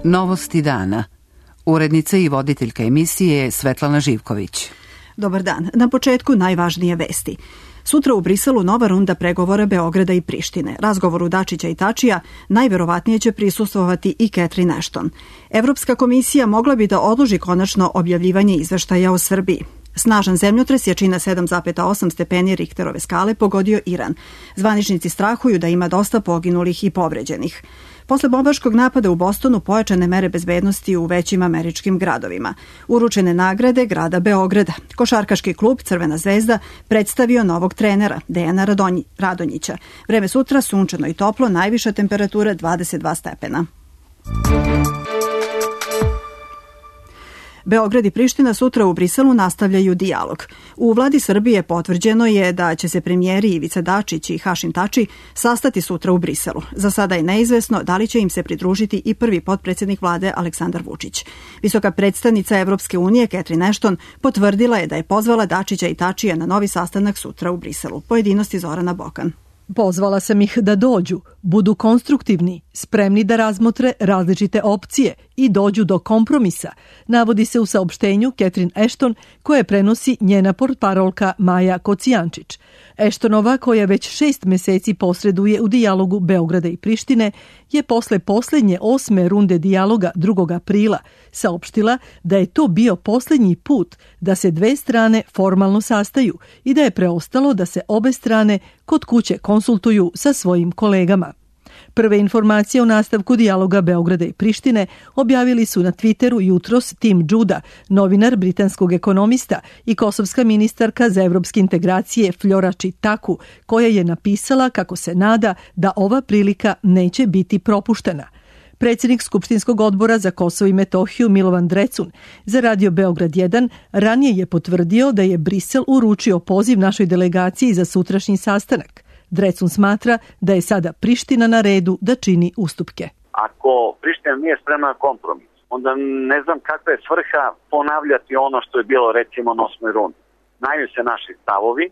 Novosti dana. Urednica i voditeljka emisije je Svetlana Živković. Dobar dan. Na početku najvažnije vesti. Sutra u Briselu nova runda pregovora Beograda i Prištine. Razgovoru Dačića i Tačija najverovatnije će prisustvovati i Catherine Ashton. Evropska komisija mogla bi da odloži konačno objavljivanje izveštaja o Srbiji. Snažan zemljotres jačina 7,8 stepeni Richterove skale pogodio Iran. Zvaničnici strahuju da ima dosta poginulih i povređenih. Posle bombaškog napada u Bostonu pojačane mere bezbednosti u većim američkim gradovima. Uručene nagrade grada Beograda. Košarkaški klub Crvena zvezda predstavio novog trenera Dejana Radonjića. Vreme sutra sunčano i toplo, najviša temperatura 22 stepena. Beograd i Priština sutra u Briselu nastavljaju dijalog. U vladi Srbije potvrđeno je da će se premijeri Ivica Dačić i Hašim Tači sastati sutra u Briselu. Za sada je neizvesno da li će im se pridružiti i prvi potpredsjednik vlade Aleksandar Vučić. Visoka predstavnica Evropske unije Catherine Ashton potvrdila je da je pozvala Dačića i Tačija na novi sastanak sutra u Briselu. Pojedinosti Zorana Bokan. Pozvala sam ih da dođu, budu konstruktivni, spremni da razmotre različite opcije i dođu do kompromisa, navodi se u saopštenju Catherine Ashton koje prenosi njena portparolka Maja Kocijančić. Ashtonova, koja već 6 meseci posreduje u dijalogu Beograda i Prištine, je posle posljednje 8. runde dijaloga 2. aprila saopštila da je to bio posljednji put da se dve strane formalno sastaju i da je preostalo da se obe strane kod kuće konsultuju sa svojim kolegama. Prve informacije o nastavku dijaloga Beograda i Prištine objavili su na Twitteru jutros Tim Juda, novinar britanskog ekonomista i kosovska ministarka za evropske integracije Flora Čitaku, koja je napisala kako se nada da ova prilika neće biti propuštena. Predsjednik Skupštinskog odbora za Kosovo i Metohiju Milovan Drecun za Radio Beograd 1 ranije je potvrdio da je Brisel uručio poziv našoj delegaciji za sutrašnji sastanak. Drecun smatra da je sada Priština na redu da čini ustupke. Ako Priština nije spremna na kompromis, onda ne znam kakva je svrha ponavljati ono što je bilo recimo na 8. rundi. Znaju se naši stavovi,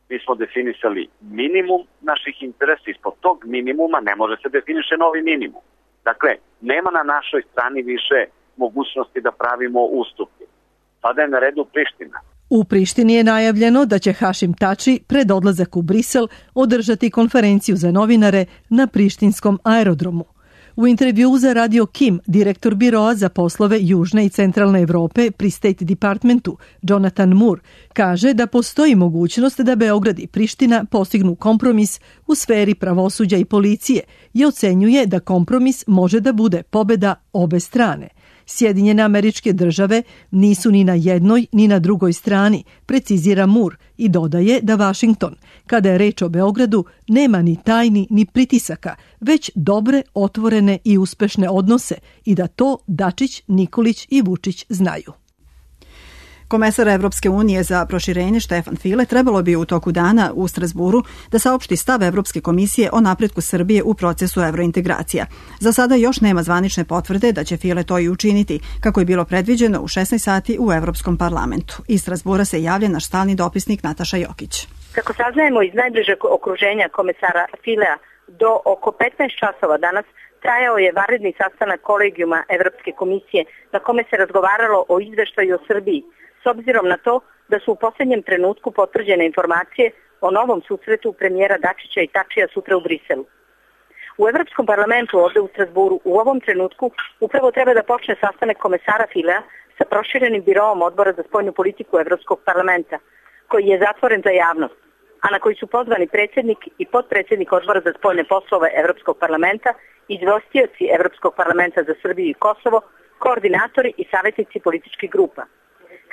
mi smo definisali minimum naših interesa, ispod tog minimuma ne može se definiše novi minimum. Dakle, nema na našoj strani više mogućnosti da pravimo ustupke. Sada je na redu Priština. U Prištini je najavljeno da će Hašim Tači pred odlazak u Brisel održati konferenciju za novinare na prištinskom aerodromu. U intervjuu za Radio Kim, direktor biroa za poslove Južne i Centralne Evrope pri State Departmentu, Jonathan Moore, kaže da postoji mogućnost da Beograd i Priština postignu kompromis u sferi pravosuđa i policije i ocenjuje da kompromis može da bude pobeda obe strane. Sjedinjene Američke Države nisu ni na jednoj ni na drugoj strani, precizira Moore i dodaje da Vašington, kada je reč o Beogradu, nema ni tajni ni pritisaka, već dobre, otvorene i uspešne odnose i da to Dačić, Nikolić i Vučić znaju. Komesar Evropske unije za proširenje Štefan File trebalo bi u toku dana u Strazburu da saopšti stav Evropske komisije o napretku Srbije u procesu evrointegracija. Za sada još nema zvanične potvrde da će File to i učiniti, kako je bilo predviđeno u 16 sati u Evropskom parlamentu. Iz Strazbura se javlja naš stalni dopisnik Nataša Jokić. Kako saznajemo iz najbližeg okruženja komesara Filea, do oko 15 časova danas trajao je vanredni sastanak kolegijuma Evropske komisije na kome se razgovaralo o izveštaju o Srbiji, s obzirom na to da su u posljednjem trenutku potvrđene informacije o novom susretu premijera Dačića i Tačija sutra u Briselu. U Evropskom parlamentu ovde u Strasburu u ovom trenutku upravo treba da počne sastanak komesara Filea sa proširenim biroom odbora za spoljnu politiku Evropskog parlamenta, koji je zatvoren za javnost, a na koji su pozvani predsjednik i potpredsjednik odbora za spoljne poslove Evropskog parlamenta, izvestioci Evropskog parlamenta za Srbiju i Kosovo, koordinatori i savjetnici političkih grupa.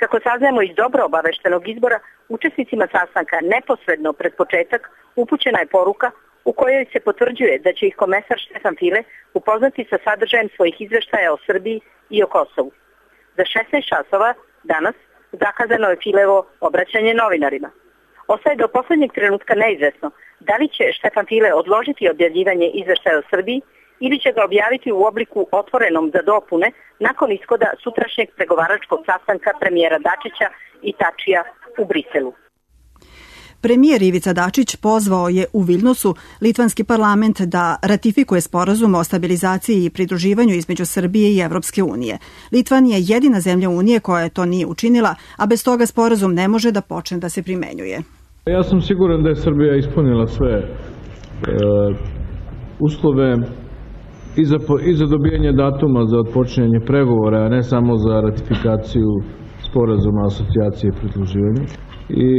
Kako saznajemo iz dobro obaveštenog izbora, učesnicima sastanka neposredno pred početak upućena je poruka u kojoj se potvrđuje da će ih komesar Štefan File upoznati sa sadržajem svojih izveštaja o Srbiji i o Kosovu. Za 16 časova danas zakazano je Filevo obraćanje novinarima. Ostaje do posljednjeg trenutka neizvesno da li će Štefan File odložiti objavljivanje izveštaja o Srbiji ili će ga objaviti u obliku otvorenom za dopune nakon ishoda sutrašnjeg pregovaračkog sastanka premijera Dačića i Tačija u Briselu. Premijer Ivica Dačić pozvao je u Viljnusu litvanski parlament da ratifikuje sporazum o stabilizaciji i pridruživanju između Srbije i Evropske unije. Litvan je jedina zemlja Unije koja to nije učinila, a bez toga sporazum ne može da počne da se primenjuje. Ja sam siguran da je Srbija ispunila sve uslove i za dobijanje datuma za otpočinjanje pregovora, a ne samo za ratifikaciju sporazuma o asocijaciji i pridruživanju. I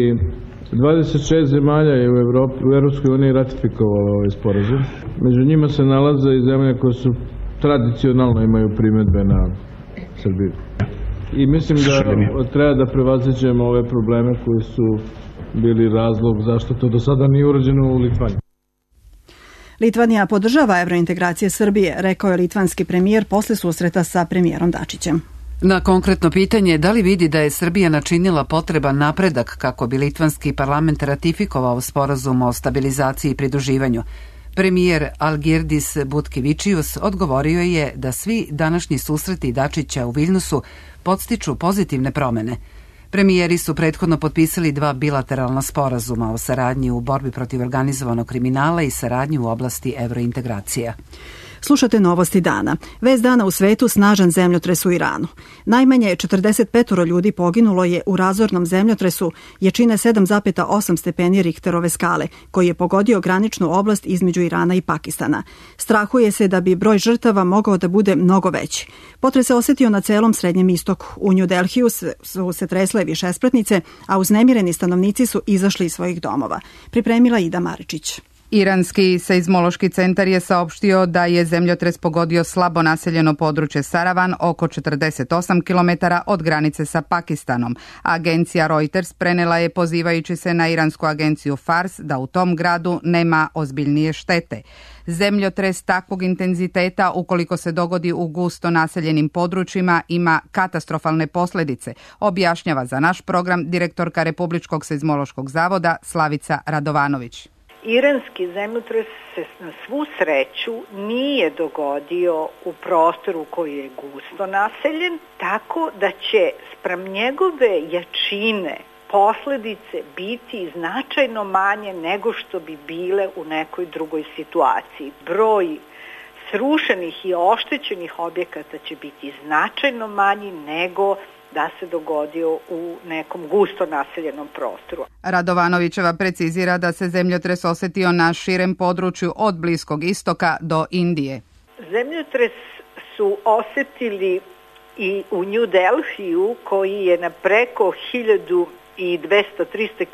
26 zemalja je u Evropskoj uniji ratifikovalo ovaj sporazum. Među njima se nalaze i zemlje koje su tradicionalno imaju primedbe na Srbiju. I mislim da treba da prevaziđemo ove probleme koji su bili razlog zašto to do sada nije urađeno u Litvani. Litvanija podržava evrointegracije Srbije, rekao je litvanski premijer posle susreta sa premijerom Dačićem. Na konkretno pitanje da li vidi da je Srbija načinila potreban napredak kako bi litvanski parlament ratifikovao sporazum o stabilizaciji i pridruživanju, premijer Algirdis Butkevičius odgovorio je da svi današnji susreti Dačića u Viljnusu podstiču pozitivne promene. Premijeri su prethodno potpisali 2 bilateralna sporazuma o saradnji u borbi protiv organizovanog kriminala i saradnji u oblasti evrointegracija. Slušate novosti dana. Vest dana u svetu: snažan zemljotres u Iranu. Najmanje 45 ljudi poginulo je u razornom zemljotresu jačine 7,8 stepeni Richterove skale, koji je pogodio graničnu oblast između Irana i Pakistana. Strahuje se da bi broj žrtava mogao da bude mnogo veći. Potres se osetio na celom Srednjem istoku. U New Delhiju su se tresle višespratnice, a uznemireni stanovnici su izašli iz svojih domova. Pripremila Ida Maričić. Iranski seizmološki centar je saopštio da je zemljotres pogodio slabo naseljeno područje Saravan, oko 48 km od granice sa Pakistanom. Agencija Reuters prenela je pozivajući se na iransku agenciju Fars da u tom gradu nema ozbiljnije štete. Zemljotres takvog intenziteta, ukoliko se dogodi u gusto naseljenim područjima, ima katastrofalne posljedice, objašnjava za naš program direktorka Republičkog seizmološkog zavoda Slavica Radovanović. Iranski zemljotres se na svu sreću nije dogodio u prostoru koji je gusto naseljen, tako da će spram njegove jačine posljedice biti značajno manje nego što bi bile u nekoj drugoj situaciji. Broj srušenih i oštećenih objekata će biti značajno manji nego da se dogodio u nekom gusto naseljenom prostoru. Radovanovićeva precizira da se zemljotres osetio na širem području od Bliskog istoka do Indije. Zemljotres su osetili i u New Delhiju, koji je na preko 1200-300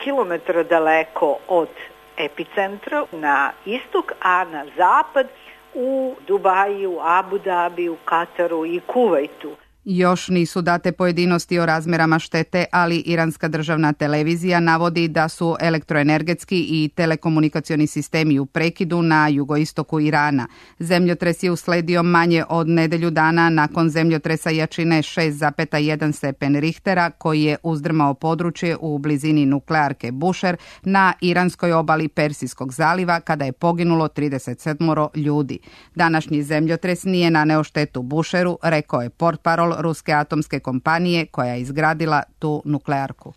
km daleko od epicentra na istok, a na zapad u Dubaju, Abu Dabiju, Kataru i Kuvajtu. Još nisu date pojedinosti o razmerama štete, ali iranska državna televizija navodi da su elektroenergetski i telekomunikacioni sistemi u prekidu na jugoistoku Irana. Zemljotres je usledio manje od nedelju dana nakon zemljotresa jačine 6,1 stepen Richtera, koji je uzdrmao područje u blizini nuklearke Bushehr na iranskoj obali Persijskog zaliva, kada je poginulo 37 ljudi. Današnji zemljotres nije naneo štetu Bushehru, rekao je portparol ruske atomske kompanije koja je izgradila tu nuklearku.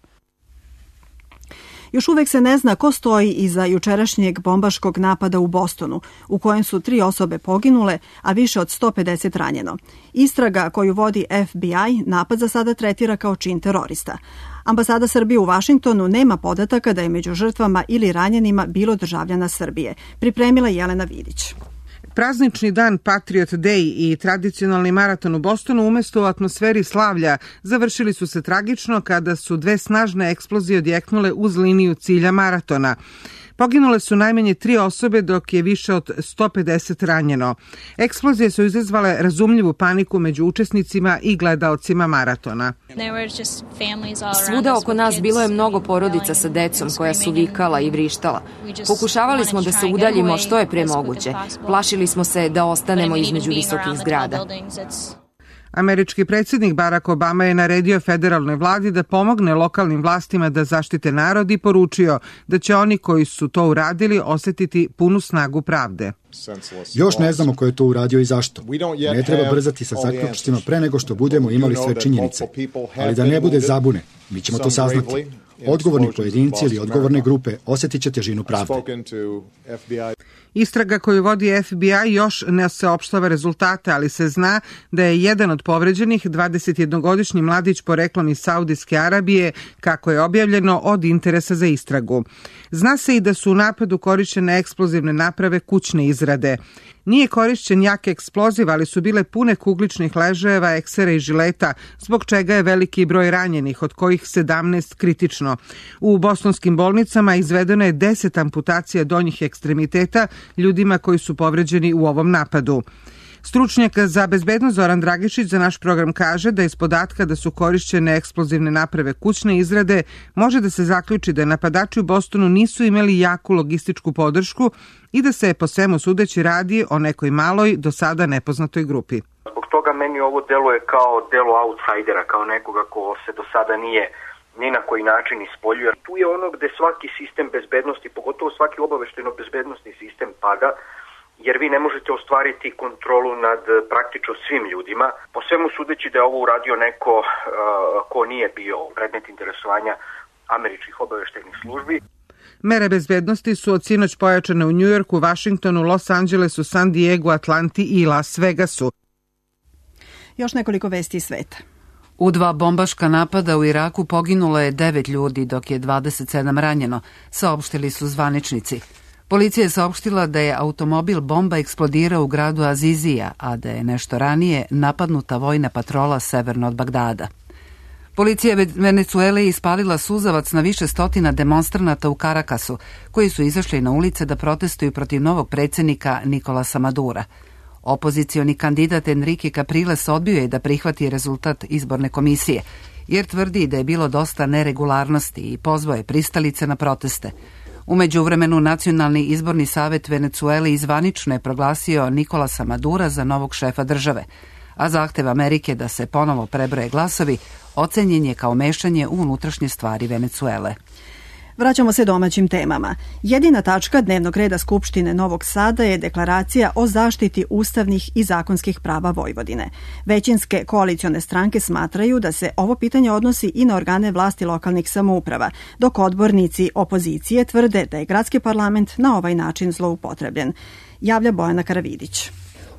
Još uvek se ne zna ko stoji iza jučerašnjeg bombaškog napada u Bostonu, u kojem su 3 osobe poginule, a više od 150 ranjeno. Istraga koju vodi FBI napad za sada tretira kao čin terorista. Ambasada Srbije u Vašingtonu nema podataka da je među žrtvama ili ranjenima bilo državljana Srbije. Pripremila Jelena Vidić. Praznični dan Patriot Day i tradicionalni maraton u Bostonu umesto u atmosferi slavlja završili su se tragično kada su 2 snažne eksplozije odjeknule uz liniju cilja maratona. Poginule su najmanje 3 osobe, dok je više od 150 ranjeno. Eksplozije su izazvale razumljivu paniku među učesnicima i gledaocima maratona. Svuda oko nas bilo je mnogo porodica sa decom koja su vikala i vrištala. Pokušavali smo da se udaljimo što je pre moguće. Plašili smo se da ostanemo između visokih zgrada. Američki predsjednik Barack Obama je naredio federalnoj vladi da pomogne lokalnim vlastima da zaštite narod i poručio da će oni koji su to uradili osetiti punu snagu pravde. Još ne znamo ko je to uradio i zašto. Ne treba brzati sa zaključcima pre nego što budemo imali sve činjenice. Ali da ne bude zabune, mi ćemo to saznati. Odgovorni pojedinci ili odgovorne grupe osjetit će težinu pravde. Istraga koju vodi FBI još ne saopštava rezultate, ali se zna da je jedan od povređenih 21-godišnji mladić poreklom iz Saudijske Arabije, kako je objavljeno, od interesa za istragu. Zna se i da su u napadu korišćene eksplozivne naprave kućne izrade. Nije korišćen jak eksploziv, ali su bile pune kugličnih ležajeva, eksera i žileta, zbog čega je veliki broj ranjenih, od kojih 17 kritično. U bostonskim bolnicama izvedeno je 10 amputacija donjih ekstremiteta ljudima koji su povređeni u ovom napadu. Stručnjak za bezbednost Zoran Dragišić za naš program kaže da iz podatka da su korišćene eksplozivne naprave kućne izrade može da se zaključi da napadači u Bostonu nisu imali jaku logističku podršku i da se po svemu sudeći radi o nekoj maloj, do sada nepoznatoj grupi. Zbog toga meni ovo deluje kao delo outsidera, kao nekoga ko se do sada nije ni na koji način ispoljuje. Tu je ono gde svaki sistem bezbednosti, pogotovo svaki obaveštajno-bezbednostni sistem pada, jer vi ne možete ostvariti kontrolu nad praktično svim ljudima. Po svemu sudeći da je ovo uradio neko ko nije bio predmet interesovanja američkih obaveštajnih službi. Mere bezbednosti su od sinoć pojačane u Njujorku, Vašingtonu, Los Angelesu, San Diegu, Atlanti i Las Vegasu. Još nekoliko vesti iz sveta. U 2 bombaška napada u Iraku poginulo je 9 ljudi, dok je 27 ranjeno, saopštili su zvaničnici. Policija je saopštila da je automobil bomba eksplodirao u gradu Azizija, a da je nešto ranije napadnuta vojna patrola severno od Bagdada. Policija Venecuele je ispalila suzavac na više stotina demonstranata u Karakasu, koji su izašli na ulice da protestuju protiv novog predsjednika Nikolasa Madura. Opozicioni kandidat Enrique Capriles odbio je da prihvati rezultat izborne komisije, jer tvrdi da je bilo dosta neregularnosti i pozvao je pristalice na proteste. U međuvremenu Nacionalni izborni savjet Venecuele zvanično je proglasio Nikolasa Madura za novog šefa države, a zahtev Amerike da se ponovo prebroje glasovi ocenjen je kao mešanje u unutrašnje stvari Venecuele. Vraćamo se domaćim temama. Jedina tačka dnevnog reda Skupštine Novog Sada je deklaracija o zaštiti ustavnih i zakonskih prava Vojvodine. Većinske koalicione stranke smatraju da se ovo pitanje odnosi i na organe vlasti lokalnih samouprava, dok odbornici opozicije tvrde da je gradski parlament na ovaj način zloupotrebljen. Javlja Bojana Karavidić.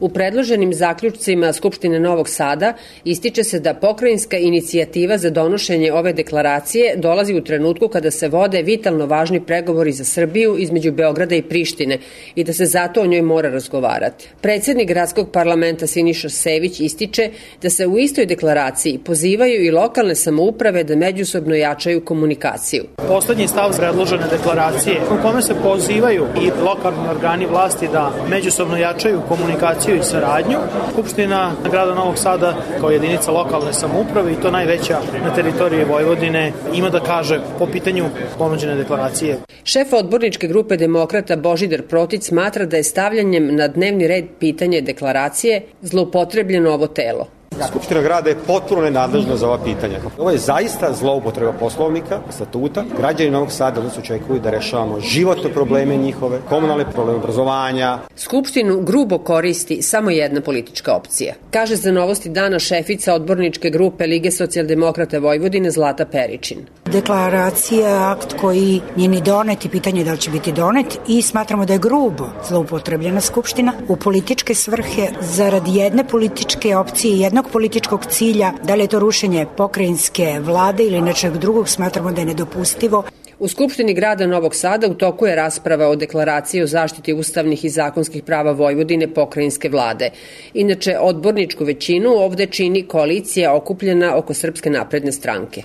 U predloženim zaključcima Skupštine Novog Sada ističe se da pokrajinska inicijativa za donošenje ove deklaracije dolazi u trenutku kada se vode vitalno važni pregovori za Srbiju između Beograda i Prištine i da se zato o njoj mora razgovarati. Predsjednik gradskog parlamenta Siniša Sević ističe da se u istoj deklaraciji pozivaju i lokalne samouprave da međusobno jačaju komunikaciju. Poslednji stav predložene deklaracije u kome se pozivaju i lokalni organi vlasti da međusobno jačaju komunikaciju i saradnju. Skupština grada Novog Sada kao jedinica lokalne samouprave i to najveća na teritoriji Vojvodine ima da kaže po pitanju ponuđene deklaracije. Šef odborničke grupe demokrata Božidar Protić smatra da je stavljanjem na dnevni red pitanje deklaracije zloupotrebljeno ovo telo. Skupština grada je potpuno nenadležna za ova pitanja. Ovo je zaista zloupotreba poslovnika, statuta. Građani Novog Sada nas očekuju da rešavamo životne probleme njihove, komunalne probleme obrazovanja. Skupštinu grubo koristi samo jedna politička opcija, kaže za Novosti dana šefica odborničke grupe Lige socijaldemokrata Vojvodine Zlata Peričin. Deklaracija je akt koji nije ni donet i pitanje da li će biti donet i smatramo da je grubo zloupotrebljena Skupština u političke svrhe zarad jedne političke opcije i jednog političkog cilja, da li je to rušenje pokrajinske vlade ili nečeg drugog, smatramo da je nedopustivo. U Skupštini grada Novog Sada u toku je rasprava o deklaraciji o zaštiti ustavnih i zakonskih prava Vojvodine pokrajinske vlade. Inače, odborničku većinu ovde čini koalicija okupljena oko Srpske napredne stranke.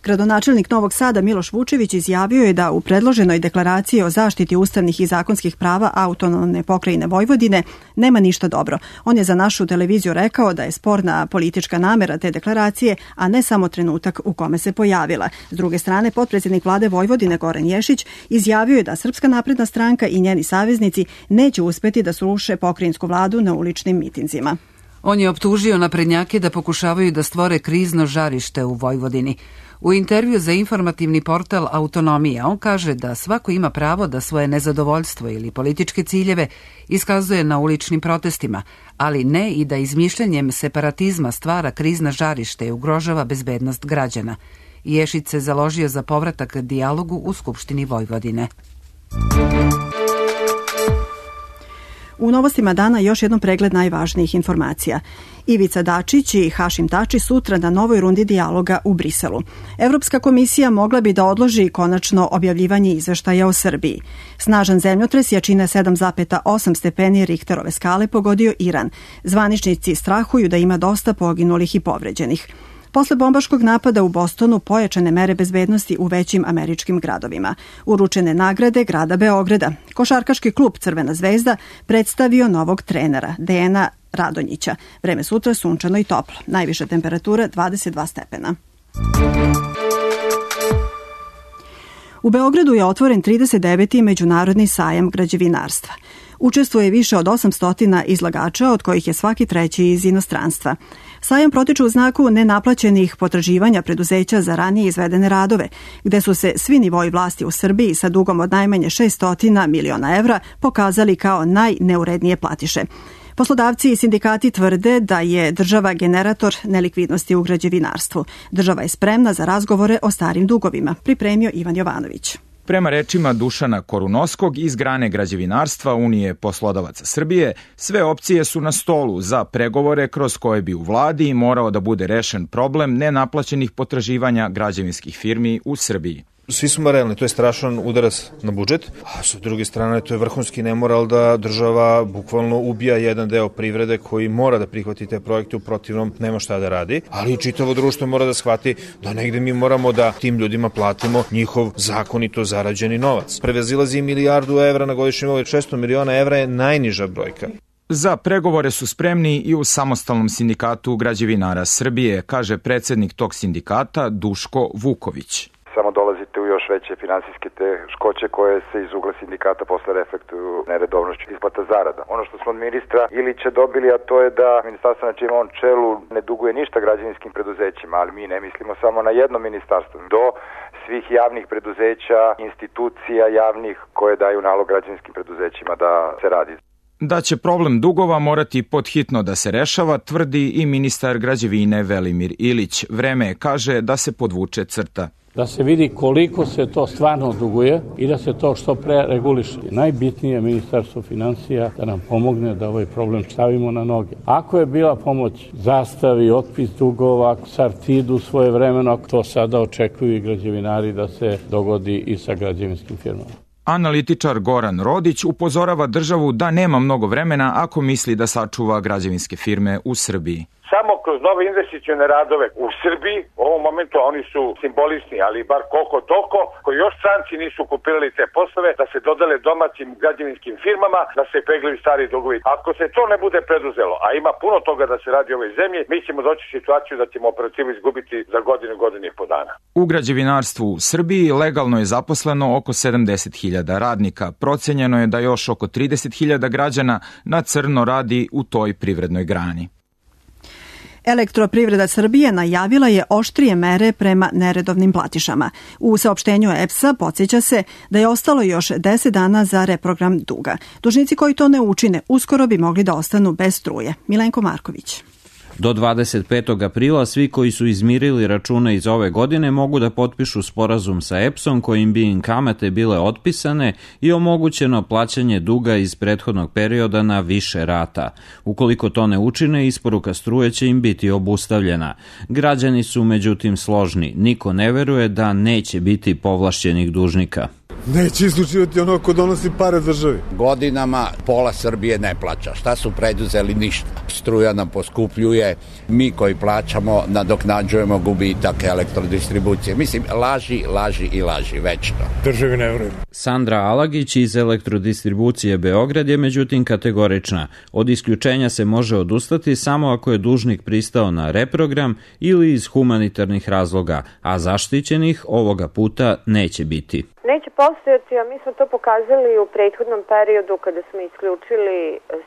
Gradonačelnik Novog Sada Miloš Vučević izjavio je da u predloženoj deklaraciji o zaštiti ustavnih i zakonskih prava autonomne pokrajine Vojvodine nema ništa dobro. On je za našu televiziju rekao da je sporna politička namera te deklaracije, a ne samo trenutak u kome se pojavila. S druge strane, potpredsjednik vlade Vojvodine Goran Ješić izjavio je da Srpska napredna stranka i njeni saveznici neće uspeti da sruše pokrajinsku vladu na uličnim mitinzima. On je optužio naprednjake da pokušavaju da stvore krizno žarište u Vojvodini. U intervju za informativni portal Autonomija on kaže da svako ima pravo da svoje nezadovoljstvo ili političke ciljeve iskazuje na uličnim protestima, ali ne i da izmišljanjem separatizma stvara krizna žarište i ugrožava bezbednost građana. Ješić se založio za povratak dijalogu u Skupštini Vojvodine. U novostima dana još jednom pregled najvažnijih informacija. Ivica Dačić i Hašim Tači sutra na novoj rundi dijaloga u Briselu. Evropska komisija mogla bi da odloži konačno objavljivanje izveštaja o Srbiji. Snažan zemljotres jačine 7,8 stepeni Richterove skale pogodio Iran. Zvaničnici strahuju da ima dosta poginulih i povređenih. Posle bombaškog napada u Bostonu pojačane mere bezbednosti u većim američkim gradovima. Uručene nagrade grada Beograda. Košarkaški klub Crvena zvezda predstavio novog trenera, Dejana Radonjića. Vreme sutra sunčano i toplo. Najviša temperatura 22 stepena. U Beogradu je otvoren 39. međunarodni sajam građevinarstva. Učestvuje više od 800 izlagača, od kojih je svaki treći iz inostranstva. Sajam protiče u znaku nenaplaćenih potraživanja preduzeća za ranije izvedene radove, gde su se svi nivoi vlasti u Srbiji sa dugom od najmanje 600 miliona evra pokazali kao najneurednije platiše. Poslodavci i sindikati tvrde da je država generator nelikvidnosti u građevinarstvu. Država je spremna za razgovore o starim dugovima, pripremio Ivan Jovanović. Prema rečima Dušana Korunovskog iz grane građevinarstva Unije poslodavaca Srbije, sve opcije su na stolu za pregovore kroz koje bi u vladi morao da bude rešen problem nenaplaćenih potraživanja građevinskih firmi u Srbiji. Svi smo realni, to je strašan udarac na budžet, a sa druge strane to je vrhunski nemoral da država bukvalno ubija jedan deo privrede koji mora da prihvati te projekte, u protivnom nema šta da radi, ali i čitavo društvo mora da shvati da negde mi moramo da tim ljudima platimo njihov zakonito zarađeni novac. Prevazilazi milijardu evra na godišnjem nivou, 600 miliona evra je najniža brojka. Za pregovore su spremni i u Samostalnom sindikatu građevinara Srbije, kaže predsednik tog sindikata Duško Vuković. Samo dolazite u još veće finansijske teškoće koje se iz ugla sindikata posle reflektuju neredovnošću isplata zarada. Ono što smo od ministra Ilića dobili, a to je da ministarstvo na čijem on čelu ne duguje ništa građevinskim preduzećima, ali mi ne mislimo samo na jedno ministarstvo, do svih javnih preduzeća, institucija javnih koje daju nalog građevinskim preduzećima da se radi. Da će problem dugova morati podhitno da se rešava, tvrdi i ministar građevine Velimir Ilić. Vreme je, kaže, da se podvuče crta. Da se vidi koliko se to stvarno duguje i da se to što pre reguliše. Najbitnije je Ministarstvo finansija da nam pomogne da ovaj problem stavimo na noge. Ako je bila pomoć zastavi, otpis dugova, Sartidu svoje vremeno, to sada očekuju i građevinari da se dogodi i sa građevinskim firmama. Analitičar Goran Rodić upozorava državu da nema mnogo vremena ako misli da sačuva građevinske firme u Srbiji. Samo kroz nove investicione radove u Srbiji, u ovom momentu oni su simbolični, ali bar koliko toliko, koji još stranci nisu kupirali te poslove, da se dodale domaćim građevinskim firmama, da se peglaju stari dugovi. Ako se to ne bude preduzelo, a ima puno toga da se radi u ovoj zemlji, mi ćemo doći u situaciju da ćemo operativu izgubiti za godinu i po dana. U građevinarstvu u Srbiji legalno je zaposleno oko 70.000 radnika. Procenjeno je da još oko 30.000 građana na crno radi u toj privrednoj grani. Elektroprivreda Srbije najavila je oštrije mere prema neredovnim platišama. U saopštenju EPS-a podsjeća se da je ostalo još 10 dana za reprogram duga. Dužnici koji to ne učine uskoro bi mogli da ostanu bez struje. Milenko Marković. Do 25. aprila svi koji su izmirili račune iz ove godine mogu da potpišu sporazum sa EPS-om kojim bi im kamate bile otpisane i omogućeno plaćanje duga iz prethodnog perioda na više rata. Ukoliko to ne učine, isporuka struje će im biti obustavljena. Građani su međutim složni. Niko ne veruje da neće biti povlašćenih dužnika. Neće isključivati ono ko donosi pare državi. Godinama pola Srbije ne plaća. Šta su preduzeli? Ništa. Struja nam poskupljuje, mi koji plaćamo nadoknađujemo gubitak elektrodistribucije. Mislim, laži, večno. Državi ne verujem. Sandra Alagić iz Elektrodistribucije Beograd je međutim kategorična. Od isključenja se može odustati samo ako je dužnik pristao na reprogram ili iz humanitarnih razloga, a zaštićenih ovoga puta neće biti. Neće postojati, a mi smo to pokazali u prethodnom periodu kada smo isključili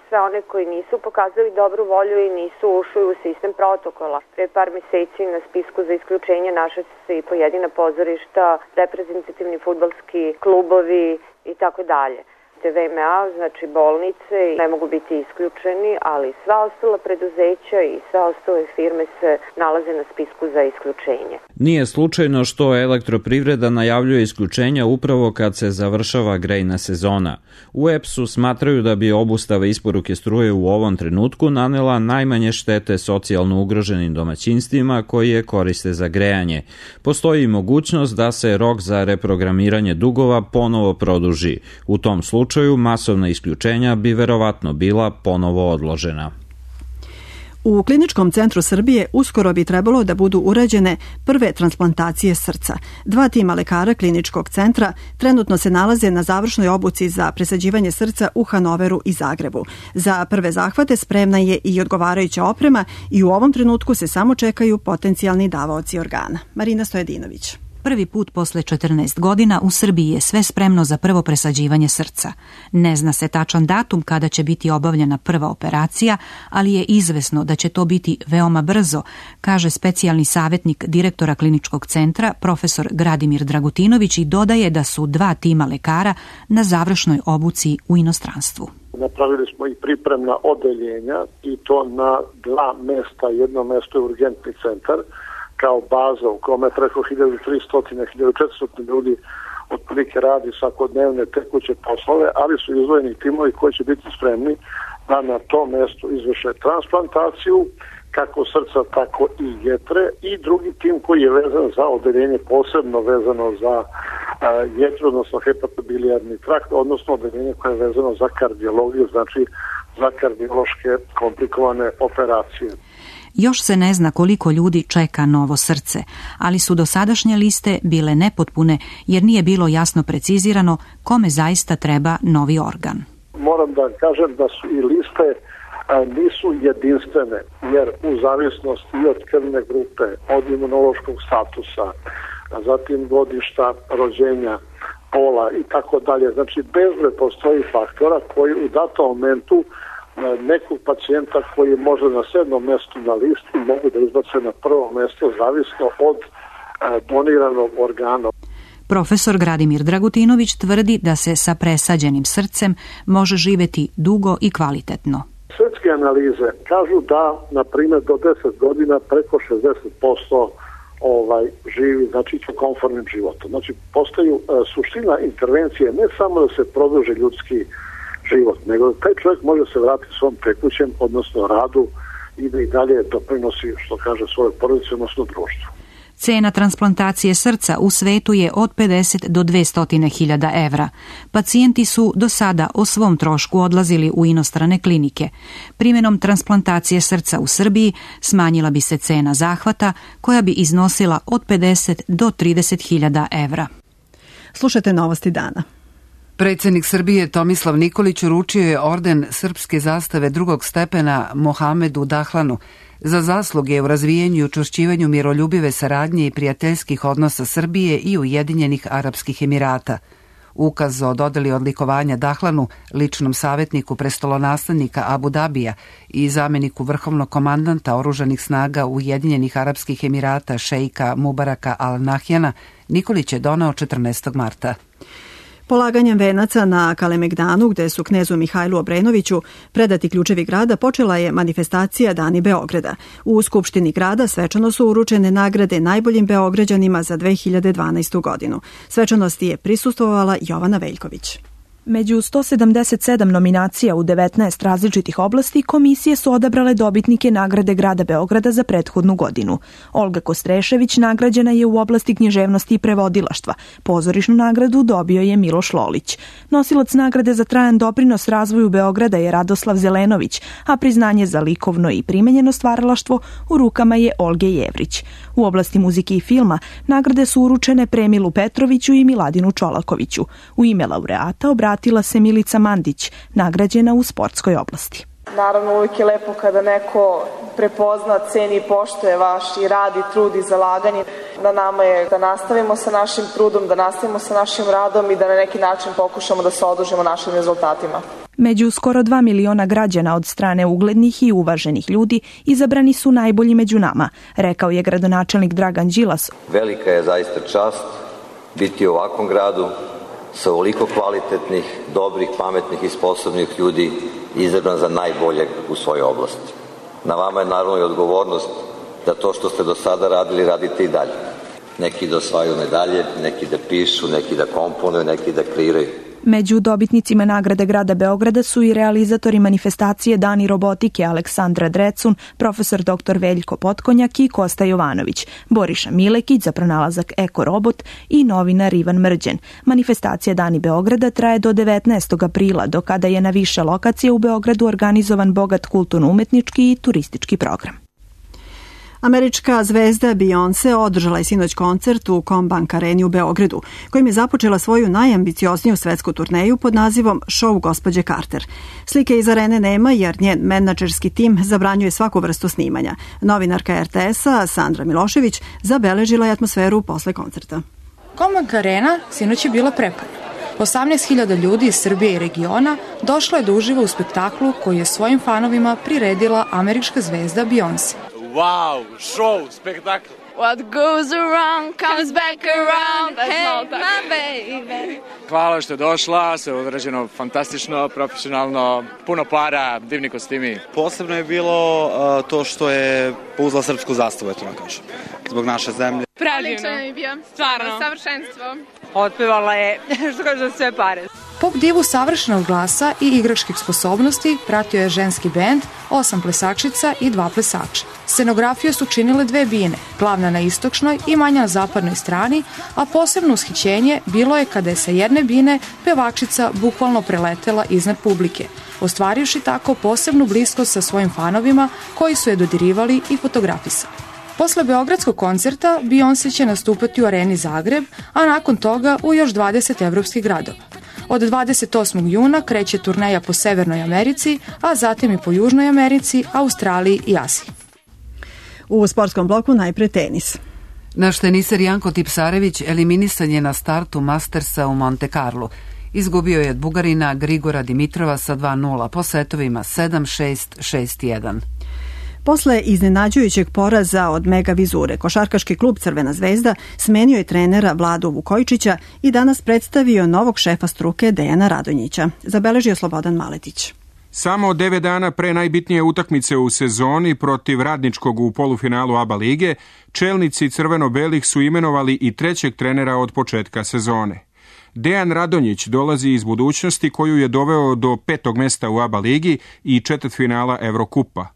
sve one koji nisu pokazali dobru volju i nisu ušli u sistem protokola. Pre par meseci na spisku za isključenje našli su se i pojedina pozorišta, reprezentativni fudbalski klubovi i tako dalje. VMA, znači bolnice, ne mogu biti isključeni, ali sva ostala preduzeća i sve ostale firme se nalaze na spisku za isključenje. Nije slučajno što Elektroprivreda najavljuje isključenja upravo kad se završava grejna sezona. U EPS-u smatraju da bi obustava isporuke struje u ovom trenutku nanela najmanje štete socijalno ugroženim domaćinstvima koji je koriste za grejanje. Postoji mogućnost da se rok za reprogramiranje dugova ponovo produži. U tom slučaju masovna isključenja bi verovatno bila ponovo odložena. U Kliničkom centru Srbije uskoro bi trebalo da budu urađene prve transplantacije srca. 2 tima lekara Kliničkog centra trenutno se nalaze na završnoj obuci za presađivanje srca u Hanoveru i Zagrebu. Za prve zahvate spremna je i odgovarajuća oprema i u ovom trenutku se samo čekaju potencijalni davaoci organa. Marina Stojedinović. Prvi put posle 14 godina u Srbiji je sve spremno za prvo presađivanje srca. Ne zna se tačan datum kada će biti obavljena prva operacija, ali je izvesno da će to biti veoma brzo, kaže specijalni savjetnik direktora Kliničkog centra, profesor Gradimir Dragutinović, i dodaje da su 2 tima lekara na završnoj obuci u inostranstvu. Napravili smo i pripremna odeljenja i to na 2 mesta. Jedno mesto je urgentni centar, kao baza u kome preko 1300-1400 ljudi otprilike radi svakodnevne tekuće poslove, ali su izdvojeni timovi koji će biti spremni da na tom mestu izvrše transplantaciju, kako srca, tako i jetre, i drugi tim koji je vezan za odeljenje posebno vezano za jetru, odnosno hepatobilijarni trakt, odnosno odeljenje koje je vezano za kardiologiju, znači za kardiološke komplikovane operacije. Još se ne zna koliko ljudi čeka novo srce, ali su dosadašnje liste bile nepotpune jer nije bilo jasno precizirano kome zaista treba novi organ. Moram da kažem da su i liste nisu jedinstvene, jer u zavisnosti i od krvne grupe, od imunološkog statusa, zatim godišta rođenja, pola i tako dalje. Znači, bezbroj postoji faktora koji u datom momentu nekog pacijenta koji može na 7. mjestu na listi mogu da izbace na prvo mjesto zavisno od doniranog organa. Profesor Gradimir Dragutinović tvrdi da se sa presađenim srcem može živeti dugo i kvalitetno. Svetske analize kažu da, na primjer, do 10 godina preko 60% živi, znači komfortnim životom. Znači, postaju suština intervencije ne samo da se produži ljudski život, nego da taj čovjek može se vratiti svom tekućem, odnosno radu, i da i dalje doprinosi, što kaže, svoje porodice, odnosno društvu. Cena transplantacije srca u svetu je od 50 do 200.000 evra. Pacijenti su do sada o svom trošku odlazili u inostrane klinike. Primjenom transplantacije srca u Srbiji smanjila bi se cena zahvata, koja bi iznosila od 50 do 30.000 evra. Slušajte novosti dana. Predsjednik Srbije Tomislav Nikolić uručio je orden srpske zastave 2. stepena Mohamedu Dahlanu za zasluge u razvijenju i učvršćivanju miroljubive saradnje i prijateljskih odnosa Srbije i Ujedinjenih Arapskih Emirata. Ukaz o dodeli odlikovanja Dahlanu, ličnom savjetniku prestolonaslednika Abu Dabija i zamjeniku vrhovnog komandanta oružanih snaga Ujedinjenih Arapskih Emirata šejka Mubaraka al-Nahyana, Nikolić je donao 14. marta. Polaganjem venaca na Kalemegdanu, gde su knezu Mihajlu Obrenoviću predati ključevi grada, počela je manifestacija Dani Beograda. U Skupštini grada svečano su uručene nagrade najboljim Beograđanima za 2012. godinu. Svečanosti je prisustvovala Jovana Veljković. Među 177 nominacija u 19 različitih oblasti komisije su odabrale dobitnike nagrade grada Beograda za prethodnu godinu. Olga Kostrešević nagrađena je u oblasti književnosti i prevodilaštva. Pozorišnu nagradu dobio je Miloš Lolić. Nosilac nagrade za trajan doprinos razvoju Beograda je Radoslav Zelenović, a priznanje za likovno i primenjeno stvaralaštvo u rukama je Olge Jevrić. U oblasti muzike i filma nagrade su uručene Premilu Petroviću i Miladinu Čolakoviću. U ime laureata obratila se Milica Mandić, nagrađena u sportskoj oblasti. Naravno, uvijek je lepo kada neko prepozna, ceni i poštuje vaš i rad i trud i zalaganje. Na nama je da nastavimo sa našim trudom, da nastavimo sa našim radom i da na neki način pokušamo da se odužimo našim rezultatima. Među skoro 2 miliona građana od strane uglednih i uvaženih ljudi izabrani su najbolji među nama, rekao je gradonačelnik Dragan Đilas. Velika je zaista čast biti u ovakvom gradu sa ovoliko kvalitetnih, dobrih, pametnih i sposobnih ljudi izabran za najboljeg u svojoj oblasti. Na vama je naravno i odgovornost da to što ste do sada radili, radite i dalje. Neki da osvajaju medalje, neki da pišu, neki da komponuju, neki da kreiraju. Među dobitnicima nagrade grada Beograda su i realizatori manifestacije Dani robotike Aleksandra Drecun, profesor dr. Veljko Potkonjak i Kosta Jovanović, Boriša Milekić za pronalazak Eko robot i novinar Ivan Mrđen. Manifestacija Dani Beograda traje do 19. aprila, do kada je na više lokacije u Beogradu organizovan bogat kulturno-umetnički i turistički program. Američka zvezda Beyoncé održala je sinoć koncert u Combank areni u Beogradu, kojim je započela svoju najambiciozniju svetsku turneju pod nazivom Show gospođe Carter. Slike iz arene nema jer njen menadžerski tim zabranjuje svaku vrstu snimanja. Novinarka RTS-a Sandra Milošević zabeležila je atmosferu posle koncerta. Combank arena sinoć je bila prepuna. 18.000 ljudi iz Srbije i regiona došlo je da uživa u spektaklu koji je svojim fanovima priredila američka zvezda Beyoncé. Wow, show, spektakl. What goes around comes back around, hey my baby. Hvala što je došla, sve je odrađeno fantastično, profesionalno, puno para, divni kostimi. Posebno je bilo to što je pouzla srpsku zastavu, eto na kažem, zbog naše zemlje. Predivno je bio, stvarno, savršenstvo. Otpevala je, što kaže, sve pare. Pop divu savršenog glasa i igračkih sposobnosti pratio je ženski bend, 8 plesačica i 2 plesača. Scenografiju su činile 2 bine, glavna na istočnoj i manja na zapadnoj strani, a posebno ushićenje bilo je kada je sa jedne bine pevačica bukvalno preletela iznad publike, ostvarivši tako posebnu bliskost sa svojim fanovima koji su je dodirivali i fotografisali. Posle beogradskog koncerta Beyoncé će nastupati u areni Zagreb, a nakon toga u još 20 evropskih gradova. Od 28. juna kreće turneja po Severnoj Americi, a zatim i po Južnoj Americi, Australiji i Aziji. U sportskom bloku najpre tenis. Naš teniser Janko Tipsarević eliminisan je na startu Mastersa u Monte Carlo. Izgubio je od Bugarina Grigora Dimitrova sa 2-0 po setovima 7-6, 6-1. Posle iznenađujućeg poraza od Mega Vizure, košarkaški klub Crvena zvezda smenio je trenera Vladu Vukojičića i danas predstavio novog šefa struke Dejana Radonjića. Zabeležio Slobodan Maletić. Samo 9 dana pre najbitnije utakmice u sezoni protiv Radničkog u polufinalu ABA lige, čelnici crveno-belih su imenovali i trećeg trenera od početka sezone. Dejan Radonjić dolazi iz budućnosti koju je doveo do 5. mesta u ABA ligi i četvrtfinala Evrokupa.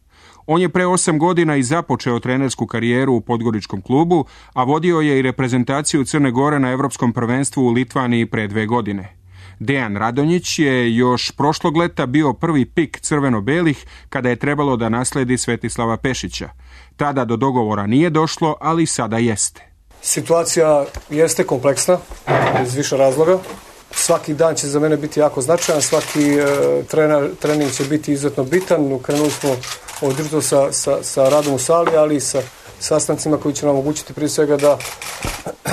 On je pre 8 godina i započeo trenersku karijeru u podgoričkom klubu, a vodio je i reprezentaciju Crne Gore na Evropskom prvenstvu u Litvaniji pre 2 godine. Dejan Radonjić je još prošlog leta bio prvi pik crveno-belih kada je trebalo da nasledi Svetislava Pešića. Tada do dogovora nije došlo, ali sada jeste. Situacija jeste kompleksna iz više razloga. Svaki dan će za mene biti jako značajan, svaki trening će biti izuzetno bitan. Krenuli smo od jutro sa radom u sali, ali i sa sastancima koji će nam omogućiti prije svega da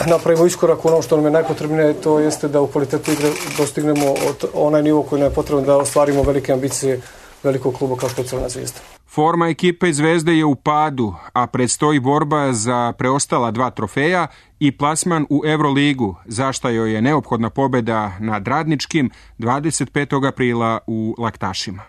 napravimo iskorak u ono što nam je najpotrebnije, to jeste da u kvalitetu igre dostignemo onaj nivo koji nam je potreban da ostvarimo velike ambicije velikog kluba kao što je Crvena zvezda. Forma ekipe Zvezde je u padu, a predstoji borba za preostala 2 trofeja i plasman u Euroligu, za šta joj je neophodna pobeda nad Radničkim 25. aprila u Laktašima.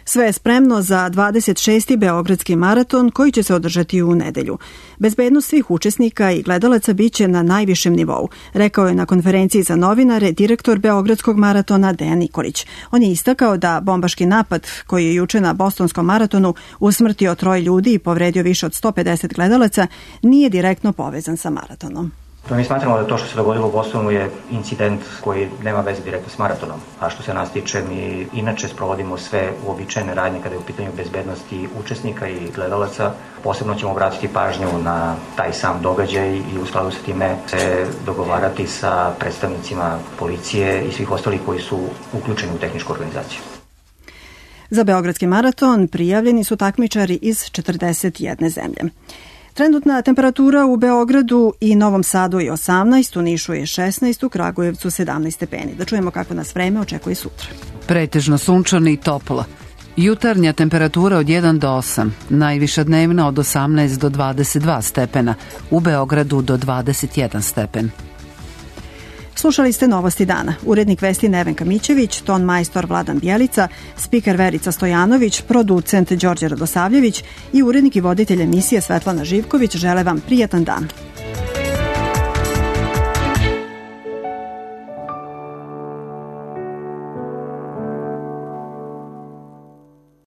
Sve je spremno za 26. Beogradski maraton koji će se održati u nedelju. Bezbednost svih učesnika i gledalaca biće na najvišem nivou, rekao je na konferenciji za novinare direktor Beogradskog maratona Dejan Nikolić. On je istakao da bombaški napad koji je juče na Bostonskom maratonu usmrtio 3 ljudi i povredio više od 150 gledalaca nije direktno povezan sa maratonom. Mi smatramo da to što se dogodilo u Bostonu je incident koji nema veze direktno s maratonom. A što se nas tiče, mi inače sprovodimo sve uobičajene radnje kada je u pitanju bezbednosti učesnika i gledalaca. Posebno ćemo obratiti pažnju na taj sam događaj i u skladu sa time se dogovarati sa predstavnicima policije i svih ostalih koji su uključeni u tehničku organizaciju. Za Beogradski maraton prijavljeni su takmičari iz 41 zemlje. Trenutna temperatura u Beogradu i Novom Sadu je 18, u Nišu je 16, u Kragujevcu 17 stepeni. Da čujemo kako nas vreme očekuje sutra. Pretežno sunčano i toplo. Jutarnja temperatura od 1 do 8, najviša dnevna od 18 do 22 stepena, u Beogradu do 21 stepen. Slušali ste Novosti dana. Urednik vesti Nevenka Mićević, ton majstor Vladan Bjelica, spiker Verica Stojanović, producent Đorđe Radosavljević i urednik i voditelj emisije Svetlana Živković žele vam prijatan dan.